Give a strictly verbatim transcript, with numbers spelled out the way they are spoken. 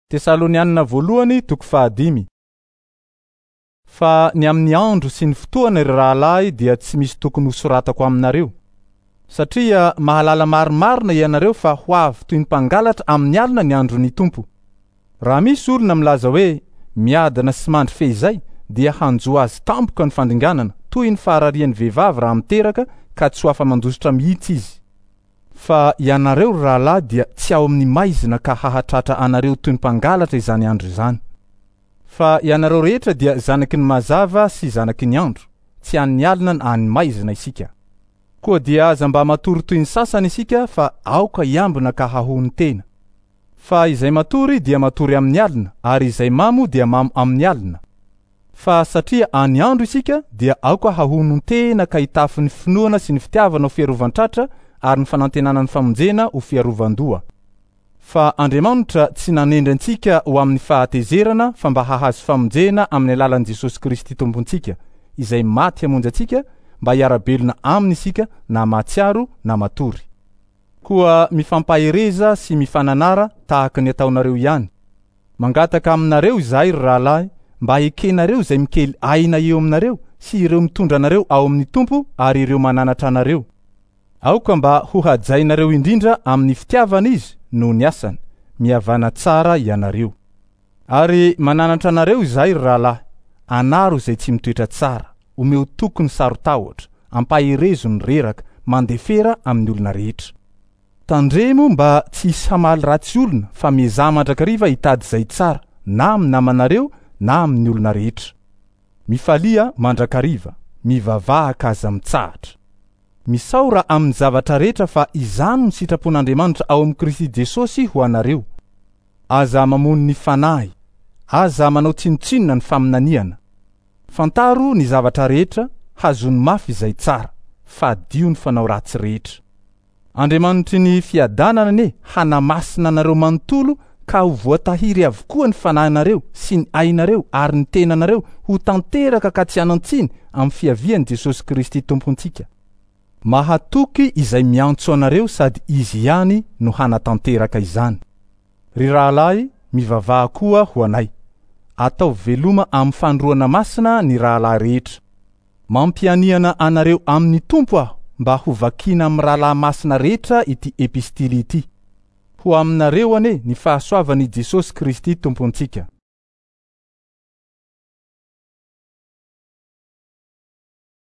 Tesalonianina voalohany toko fahadimy. Fa ny amin'ny andro sy ny fotoana ry rahalahy dia tsy misy tokony hosoratako aminareo, satria mahalala marimarina ianareo fa ho avy toy ny mpangalatra amin'ny alina ny andron'ny Tompo. Raha misy olona milaza hoe miadana sy mandry fehizay dia hanjo azy tampoka ny fandringanana, toy ny fahararian'ny vehivavy raha miteraka ka tsy ho afa-mandositra mihitsy izy. Fa ianareo ry rahalahy dia tsy ao amin'ny maizina ka hahatratra anareo toy ny mpangalatra izany andro izany. Fa ianareo rehetra dia zanaky ny mazava sy zanaky ny andro, tsy an'ny alina na an'ny maizina isika. Koa dia aza mba matory toy ny sasany isika fa aoka hiambina ka hahono tena. Fa izay matory dia matory amin'ny alina, ary izay mamo dia mamo amin'ny alina. Fa satria any andro isika dia aoka hahono tena ka hitafy ny finoana sy ny fitiavana ho fiarovan-tratra ary ny fanantenana ny famonjena ho fiarovan-doha. Fa Andriamanitra tsy nanendry antsika ho amin'ny fahatezerana fa mba hahazo famonjena amin'ny alalan'i Jesosy Kristy Tompontsika, izay maty hamonjy antsika mba hiara-belona aminy isika na mahatsiaro na matory. Koa mifampahereza sy mifananara tahaka ny ataonareo ihany. Mangataka aminareo izahay ry rahalahy mba hekenareo izay mikely aina eo aminareo sy ireo mitondra anareo ao amin'ny Tompo ary ireo mananatra anareo. Aoka mba ho hajainareo indrindra amin'ny fitiavana izy noho ny asany. Mihavana tsara ianareo. Ary mananatra anareo izahay ry rahalahy, anaro izay tsy mitoetra tsara, omeo toky ny saro-tahotra, ampaherezo ny reraka, mandefera amin'ny olona rehetra. Tandremo mba tsy hisy hamaly ratsy olona fa miezaha mandrakariva hitady izay tsara na amin'ny namanareo na amin'ny olona rehetra. Mifalia mandrakariva, mivavaha ka aza mitsahatra. Misaora amin'ny zavatra rehetra fa izany no sitrapon'Andriamanitra ao amin'i Kristy Jesosy ho anareo. Aza mamono ny fanahy, aza manao tsinontsinona ny faminaniana. Fantaro ny zavatra rehetra, hazony mafy izay tsara, fadio ny fanao ratsy rehetra. Andriamanitry ny fiadanana anie hanamasina anareo manontolo ka ho voatahiry avokoa ny fanahinareo sy ny ainareo ary ny tenanareo ho tanteraka ka tsy hanan-tsiny amin'ny fiavian'i Jesosy Kristy Tompontsika. Mahatoky izay miantso anareo sady izy ihany no hanatanteraka izany. Ry rahalahy, mivavaha koa ho anay. Ataovy veloma amin'ny fandroana masina ny rahalahy rehetra. Mampianiana anareo amin'ny Tompo aho mba ho vakiana amin'ny rahalahy masina rehetra ity epistily ity. Ho aminareo anie ny fahasoavan'i Jesosy Kristy Tompontsika.